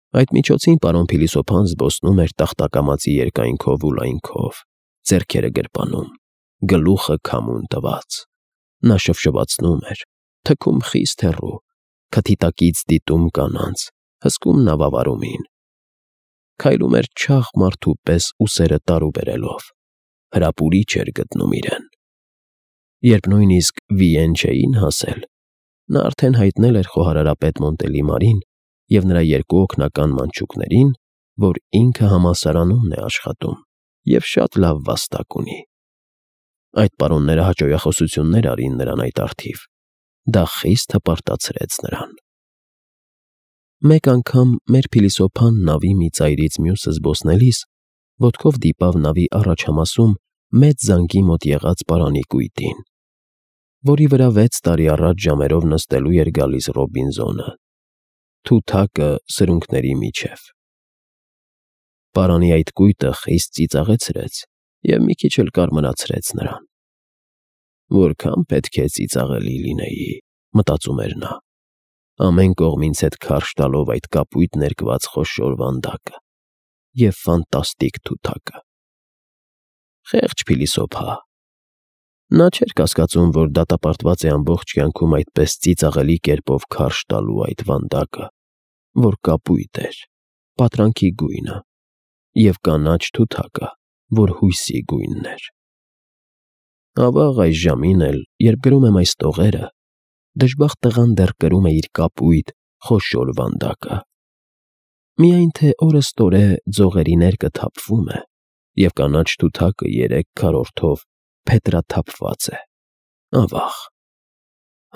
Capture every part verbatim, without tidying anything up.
Այդ միջոցին պարոն փիլիսոփան զբոսնում էր տախտակամածի երկայնքով ու լայնքով, ձեռքերը գրպանում, գլուխը քամուն տված։ Նա շվշվացնում էր, թքում խիստ հեռու, քթի տակից դիտում կանանց, հսկում նավավարումին։ Քայլում էր չաղ մարդու պես ուսերը տարու բերելով, հրապուրիչ էր գտնում իրեն։ Երբ նույնիսկ Վիեն չէին հասել, նա արդեն հայտնել էր խոհարարապետ Մոնտելիմարին և նրա երկու օգնական մանչուկներին, որ ինքը համալսարանումն է աշխատում և շատ լավ վաստակ ունի։ Այդ պարոնները հաճոյախոսություններ արին նրան այդ առթիվ, դա խիստ հպարտացրեց նրան։ Մեկ անգամ մեր փիլիսոփան նավի մի ծայրից մյուսը զբոսնելիս ոտքով դիպավ նավի առաջհամասում մեծ զանգի մոտ եղած պարանի կույտին, որի վրա վեց տարի առաջ ժամերով նստելու էր գալիս Ռոբինզոնը, թութակը սրունքների միջև։ Պարանի այդ կույտը խիստ ծիծաղեցրեց և մի քիչ էլ կարմրացրեց նրան։ «Որքան պետք է ծիծաղելի լինեի», մտածում էր նա, ամեն կողմինց հետ քարշ տալով այդ կապույտ ներկված խոշոր վանդակը և ֆանտաստիկ թութակը։ Խեղճ փիլիսոփա։ Նա չէր կասկածում, որ դատապարտված է ամբողջ կյանքում այդպես ծիծաղելի կերպով քարշ տալու այդ վանդակը, որ կապույտ էր, պատրանքի գույնը, և կանաչ թութակը, որ հույսի գույնն էր։ Ավաղ, այս ժամին էլ, երբ գրում եմ այս տողերը, դժբախտ տղան դեռ կրում է իր կապույտ, խոշոր վանդակը։ Միայն թե օրըստօրե ձողերի ներկը թափվում է, և կանաչ թութակը երեք քառորդով փետրաթափված է։ Ավաղ։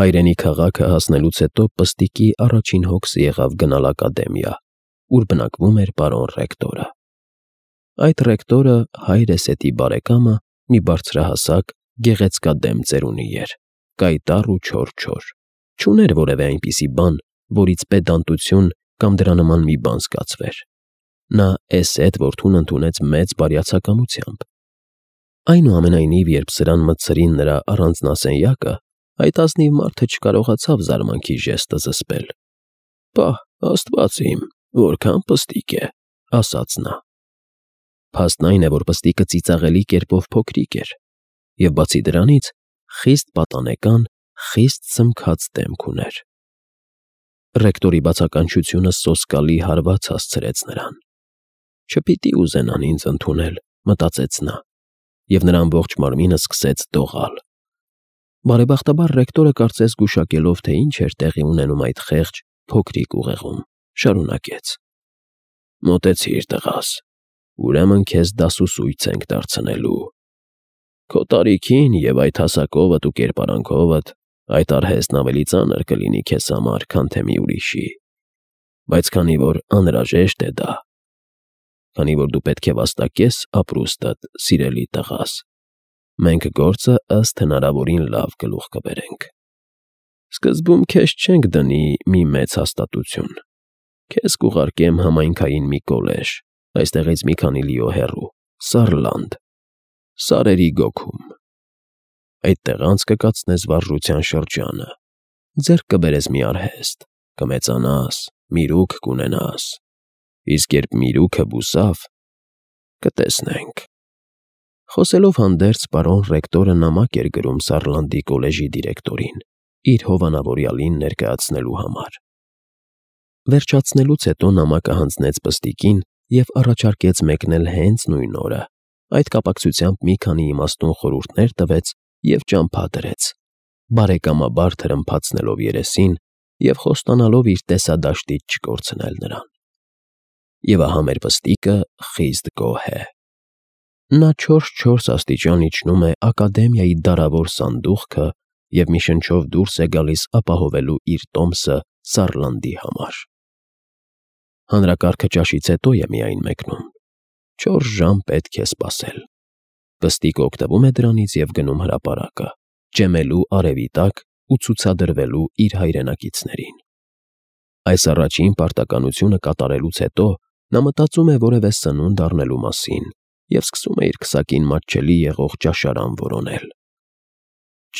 Հայրենի քաղաքը հասնելուց հետո Պստիկի առաջին հոգսը եղավ գնալ ակադեմիա, ուր բնակվում էր պարոն ռեկտորը։ Այդ ռեկտորը, հայր Էսետի բարեկամը, մի բարձրահասակ, գեղեցկադեմ ծերունի էր, կայտառ ու չոր-չոր, չուներ որևէ այնպիսի բան, որից պեդանտություն կամ դրա նման մի բան զգացվեր։ Նա Էսետ որդուն ընդունեց մեծ բարյացակամությամբ։ Այնուամենայնիվ, երբ սրան մտցրին նրա առանձնասենյակը, այդ ազնիվ մարդը չկարողացավ զարմանքի ժեստը զսպել։ «Պահ, Աստված իմ, որքան պստիկ է», ասաց նա։ Փաստն այն է, որ պստիկը ծիծաղելի կերպով փոքրիկ էր, և բացի դրանից, խիստ պատանեկան, խիստ սմքած դեմք ուներ։ Ռեկտորի բացականչությունը սոսկալի հարված հասցրեց նրան։ «Չպիտի ուզենան ինձ ընդունել», մտածեց նա, և նրա ամբողջ մարմինը սկսեց դողալ։ Բարեբախտաբար ռեկտորը, կարծես գուշակելով, թե ինչ էր տեղի ունենում այդ խեղճ, փոքրիկ ուղեղում, շարունակեց. «Մոտեցիր, տղաս, ուրեմն քեզ դասուսույց ենք դարձնելու։ Քո տարիքին և այդ հասակովդ ու կերպարանքովդ այդ արհեստն ավելի ծանր կլինի քեզ համար, քան թե մի ուրիշի, բայց քանի որ անհրաժեշտ է դա, քանի որ դու պետք է վաստակես ապրուստդ, սիրելի տղաս, մենք գործը ըստ հնարավորին լավ գլուխ կբերենք։ Սկզբում քեզ չենք դնի մի մեծ հաստատություն, քեզ կուղարկեմ համայնքային մի կոլեժ, այստեղից մի քանի լիո հեռու, Սարլանդ, Սարերի գոգում։ Այդտեղ անց կկացնես վարժության շրջանը, ձեռք կբերես մի արհեստ, կմեծանաս, միրուք կունենաս, իսկ երբ միրուքը բուսավ, կտեսնենք»։ Խոսելով հանդերձ, պարոն ռեկտորը նամակ էր գրում Սարլանդի կոլեժի դիրեկտորին, իր հովանավորյալին ներկայացնելու համար։ Վերջացնելուց հետո նամակը հանձնեց Պստիկին և առաջարկեց մեկնել հենց նույն օրը, այդ կապակցությամբ մի քանի իմաստուն խորհուրդներ տվեց և ճամփա դրեց, բարեկամաբար թրմփացնելով երեսին և խոստանալով իր տեսադաշտից չկորցնել նրան։ Եվ ահա մեր Պստիկը խիստ գոհ է։ Նա չորս֊չորս աստիճան իջնում է ակադեմիայի դարավոր սանդուղքը և մի շնչով դուրս է գալիս ապահովելու իր տոմսը Սարլանդի համար։ Հանրակարգը ճաշից հետո է միայն մեկնում։ Չորս ժամ պետք է սպասել։ Պստիկը օգտվում է դրանից և գնում հրապարակը, ճեմելու արևի տակ ու ցուցադրվելու իր հայրենակիցներին։ Այս առաջին պարտականությունը կատարելուց հետո նա մտածում է որևէ սնունդ առնելու մասին և սկսում է իր քսակին մատչելի եղող ճաշարան որոնել։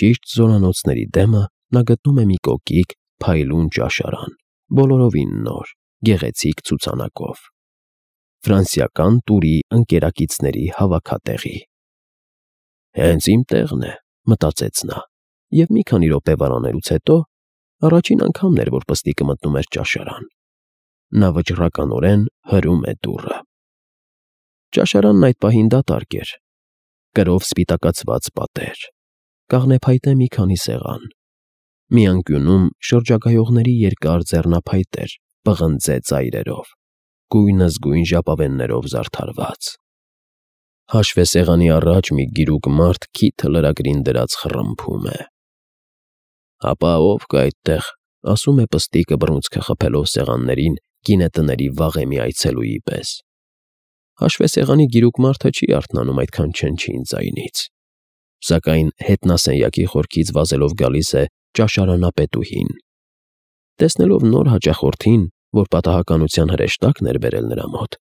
Ճիշտ զորանոցների դեմը նա գտնում է մի կոկիկ, փայլուն ճաշարան, բոլորովին նոր, գեղեցիկ ցուցանակով։ Ֆրանսիական տուրի ընկերակիցների հավաքատեղի։ Հենց իմ տեղն է, մտածեց նա, և մի քանի րոպե վարանելուց հետո առաջին անգամն էր, որ պստիկը մտնում էր ճաշարան։ Նա վճռականորեն հրում է դուռը։ Ճաշարանն այդ պահին դատարկ էր։ Կրով սպիտակացված պատեր, կաղնեփայտե մի քանի սեղան։ Մի անկյունում շրջագայողների երկար ձեռնափայտեր, պղնձե ծայրերով, գույնզգույն ժապավեններով զարդարված։ Հաշվեսեղանի առաջ մի գիրուկ մարդ քիթը լրագրին դրած խռմփում է։ Հապա ով կա այդտեղ, ասում է պստիկը բռունցքը խփելով սեղաններին գինետների վաղեմի այցելուի պես։ Հաշվեսեղանի գիրուկ մարդը չի արթնանում այդքան չնչին ձայնից։ Սակայն հետնասենյակի խորքից վազելով գալիս է ճաշարանապետուհին։ Տեսնելով նոր հաճախորդին, որ պատահականության հրեշտակն էր բերել նրա մոտ,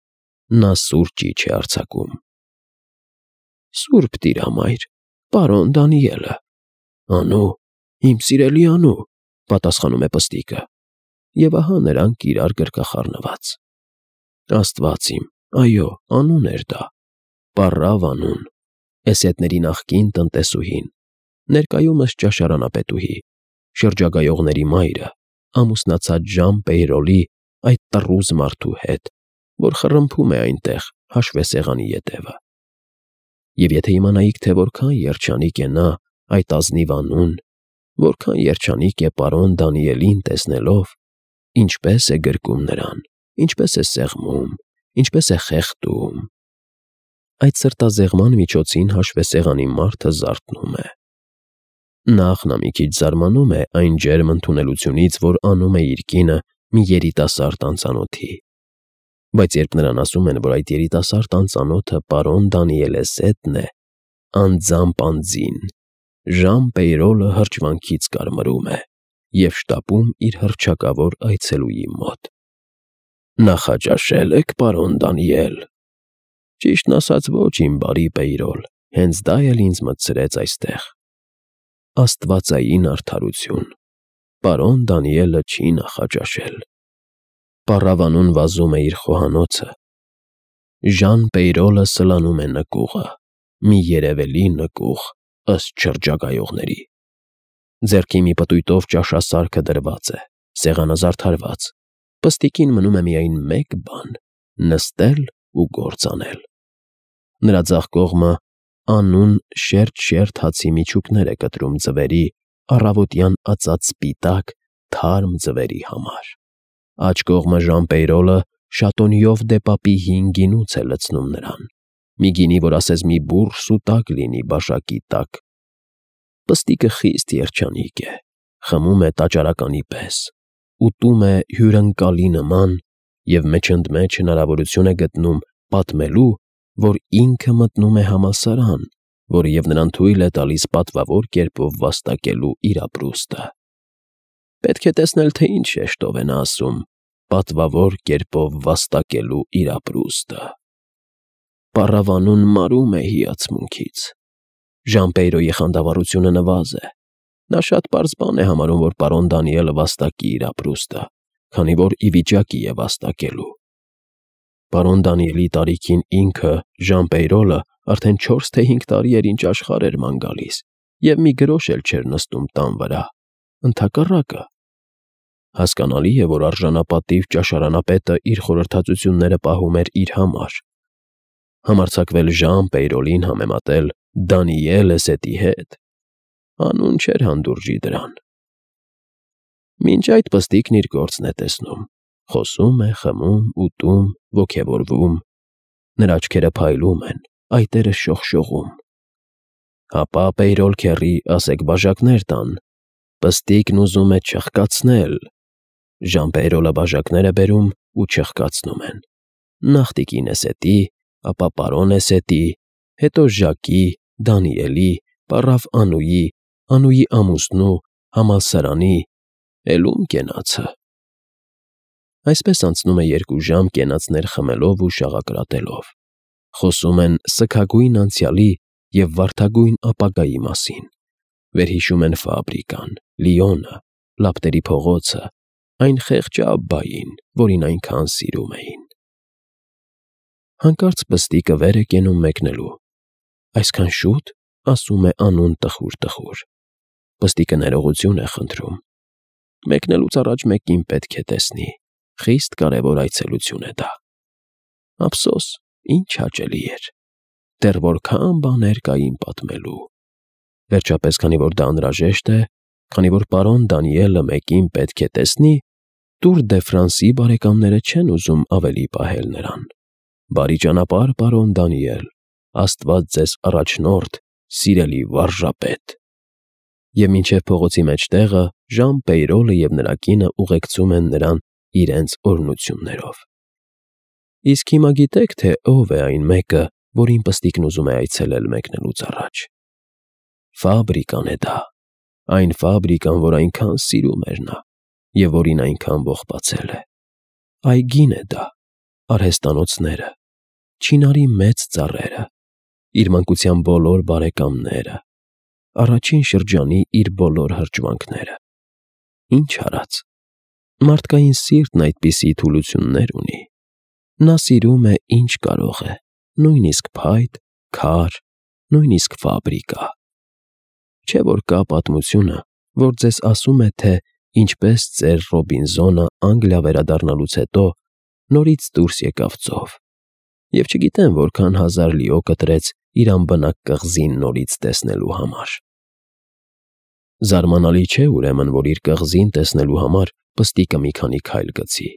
նա սուր ճիչ է արձակում։ Սուրբ տիրամայր, պարոն Դանիելը։ Անու, իմ սիրելի անու, պատասխանում է պստիկը, և ահա նրանք իրար գրկախառնված։ Աստված իմ, այո, անուն էր դա, պառավ անուն, էսեդների նախկին տնտեսուհին, ներկայումս ճաշարանապետուհի, շրջագայողների մայրը, ամուսնացած Ժան Պեյրոլի այդ տռուզ մարդու հետ, որ խռմփում է այնտեղ հաշվեսեղանի ետևը։ Եվ եթե իմանայիք, թե որքան երջանիկ է նա այդ ազնիվ անուն, որքան երջանիկ է պարոն Դանիելին տեսնելով, ինչպես է գրկում նրան, ինչպես է սեղմում, ինչպես է խեղդում։ Այդ սրտազեղման միջոցին հաշվեսեղանի մարդը զարթնում է։ Նախ նա մի քիչ զարմանում է այն ջերմ ընդունելությունից, որ անում է իր կինը մի երիտասարդ անծանոթի։ Բայց երբ նրան ասում են, որ այդ երիտասարդ անծանոթը պարոն Դանիել Էսեդն է, անձամբ անձին, Ժան Պեյրոլը հրճվանքից կարմրում է և շտապում իր հռչակավոր այցելուի մոտ։ Նախաճաշե՞լ եք, պարոն Դանիել։ Ճիշտն ասած, ոչ, իմ բարի Պեյրոլ, հենց դա էլ ինձ մտցրեց այստեղ։ Աստվածային արդարություն, պարոն Դանիելը չի նախաճաշել։ Պառավանուն վազում է իր խոհանոցը։ Ժան Պեյրոլը սլանում է նկուղը, մի երևելի նկուղ, ըստ շրջագայողների։ Ձեռքի մի պտույտով ճաշասարքը դրված է, սեղանը զարդարված։ Պստիկին մնում է միայն մեկ բան՝ նստել ու գործ անել։ Նրա ձախ կողմը անուն շերտ-շերտ հացի միջուկներ է կտրում ձվերի, առավոտյան ածած սպիտակ, թարմ ձվերի համար։ Աջ կողմը Ժան Պեյրոլը շատոնիով դե պապի հին գինուց է լցնում նրան, մի գինի, որ ասես մի բուռ սուտակ լինի բաշակի տակ։ Պստիկը խիստ երջանիկ է, խմում է տաճարականի պես, ուտում է հյուրընկալի նման և մեջընդմեջ հնարավորություն է գտնում պատմելու, որ ինքը մտնում է համալսարան, որը և նրան թույլ է տալիս պատվավոր կերպով վաստակելու իր ապրուստը։ Պետք է տեսնել, թե ինչ շեշտով է նա ասում պատվավոր կերպով վաստակելու իր ապրուստը։ Պառավանուն մարում է հիացմունքից։ Ժան Պեյրոյի խանդավառությունը նվազ է։ Նա շատ պարզ բան է համարում, որ պարոն Դանիելը վաստակի իր ապրուստը, քանի որ ի վիճակի է վաստակելու։ Պարոն Դանիելի տարիքին ինքը, Ժան Պեյրոլը, արդեն չորս թե հինգ տարի էր ինչ աշխարհ էր ման գալիս, և մի գրոշ էլ չէր նստում տան վրա, ընդհակառակը։ Հասկանալի է, որ արժանապատիվ ճաշարանապետը իր խորհրդածությունները պահում էր իր համար։ Համարձակվել Ժան Պեյրոլին համեմատել Դանիել Էսեդի հետ, անուն չէր հանդուրժի դրան։ Մինչ այդ պստիկն իր գործն է տեսնում, խոսում է, խմում, ուտում, ոգևորվում, նրա աչքերը փայլում են, այտերը շողշողում։ Հապա Պեյրոլ քեռի, ասեք բաժակներ տան, պստիկն ուզում է չխկացնել։ Ժան Պեյրոլը բաժակներ է բերում ու չխկացնում են։ Նախ տիկին Էսեդի, ապա պարոն Էսեդի, հետո Ժակի, Դանիելի, պառավ Անուի, Անուի ամուսնու, համալսարանի, էլ ում կենացը։ Այսպես անցնում է երկու ժամ կենացներ խմելով ու շաղակրատելով։ Խոսում են սգագույն անցյալի և վարդագույն ապագայի մասին։ Վերհիշում են ֆաբրիկան, Լիոնը, լապտերի փողոցը, այն խեղճ Աբբային, որին այնքան սիրում էին։ Հանկարծ պստիկը վեր է կենում մեկնելու։ Այսքան շո՞ւտ, ասում է անուն տխուր֊տխուր։ Պստիկը ներողություն է խնդրում։ Մեկնելուց առաջ մեկին պետք է տեսնի։ Խիստ կարևոր այցելություն է դա։ Ափսոս, ինչ հաճելի էր։ Դեռ որքան բաներ կային պատմելու։ Վերջապես, քանի որ դա անհրաժեշտ է, քանի որ պարոն Դանիելը մեկին պետք է տեսնի, Տուր դե Ֆրանսի բարեկամները չեն ուզում ավելի պահել նրան։ Բարի ճանապարհ, պարոն Դանիել, Աստված ձեզ առաջնորդ, սիրելի վարժապետ։ Եվ մինչև փողոցի մեջտեղը Ժան Պեյրոլը և նրա կինը ուղեկցում են նրան իրենց օրհնություններով։ Իսկ հիմա գիտե՞ք, թե ով է այն մեկը, որին պստիկն ուզում է այցելել մեկնելուց առաջ։ Ֆաբրիկան է դա, այն ֆաբրիկան, որ այնքան սիրում էր նա, և որին այնքան ողբացել է։ Այգին է դա, արհեստանոցները, չինարի մեծ ծառերը, իր մանկության բոլոր բարեկամները, առաջին շրջանի իր բոլոր հրճվանքները։ Ինչ արած։ Մարդկային սիրտն այդպիսի թուլություններ ունի։ Նա սիրում է, ինչ կարող է, նույնիսկ փայտ, քար, նույնիսկ ֆաբրիկա։ Չէ՞ որ կա պատմությունը, որ ձեզ ասում է, թե ինչպես ծեր Ռոբինզոնը Անգլիա վերադառնալուց հետո նորից դուրս եկավ ծով, և չգիտեմ որքան հազար լիո կտրեց իր անբնակ կղզին նորից տեսնելու համար։ Զարմանալի չէ, ուրեմն, որ իր կղզին տեսնելու համար պստիկը մի քանի քայլ գցի։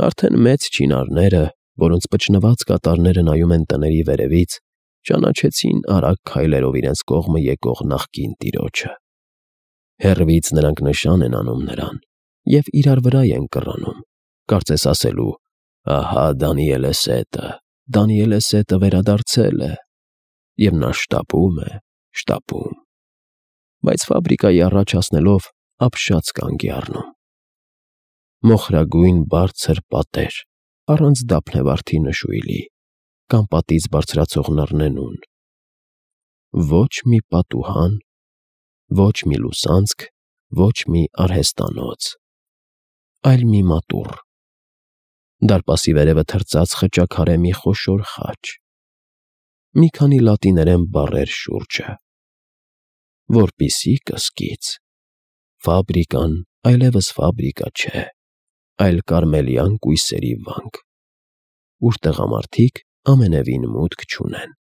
Արդեն մեծ չինարները, որոնց պճնված կատարները նայում են տների վերևից, ճանաչեցին արագ քայլերով իրենց կողմը եկող նախկին տիրոջը։ Հեռվից նրանք նշան են անում նրան և իրար վրա են կռանում, կարծես ասելու. «Ահա Դանիելեսետը, Դանիելեսետը վերադարձել է», և նա շտապում է, շտապում։ Բայց ֆաբրիկայի առաջ հասնելով ապշած կանգ է առնում։ Մոխրագույն բարձր պատեր, առանց դափնեվարդի նշույլի, կամ պատից բարձրացող նռնենուն։ Ոչ մի պատուհան, ոչ մի լուսանցք, ոչ մի արհեստանոց, այլ մի մատուռ։ Դարպասի վերևը թրծած խճաքարե մի խոշոր խաչ։ Մի քանի լատիներեն բառեր շուրջը։ Որպիսի կսկիծ։ Ֆաբրիկան այլևս ֆաբրիկա չէ, այլ կարմելյան կույսերի վանք, ուր տղամարդիկ ամենևին մուտք չունեն։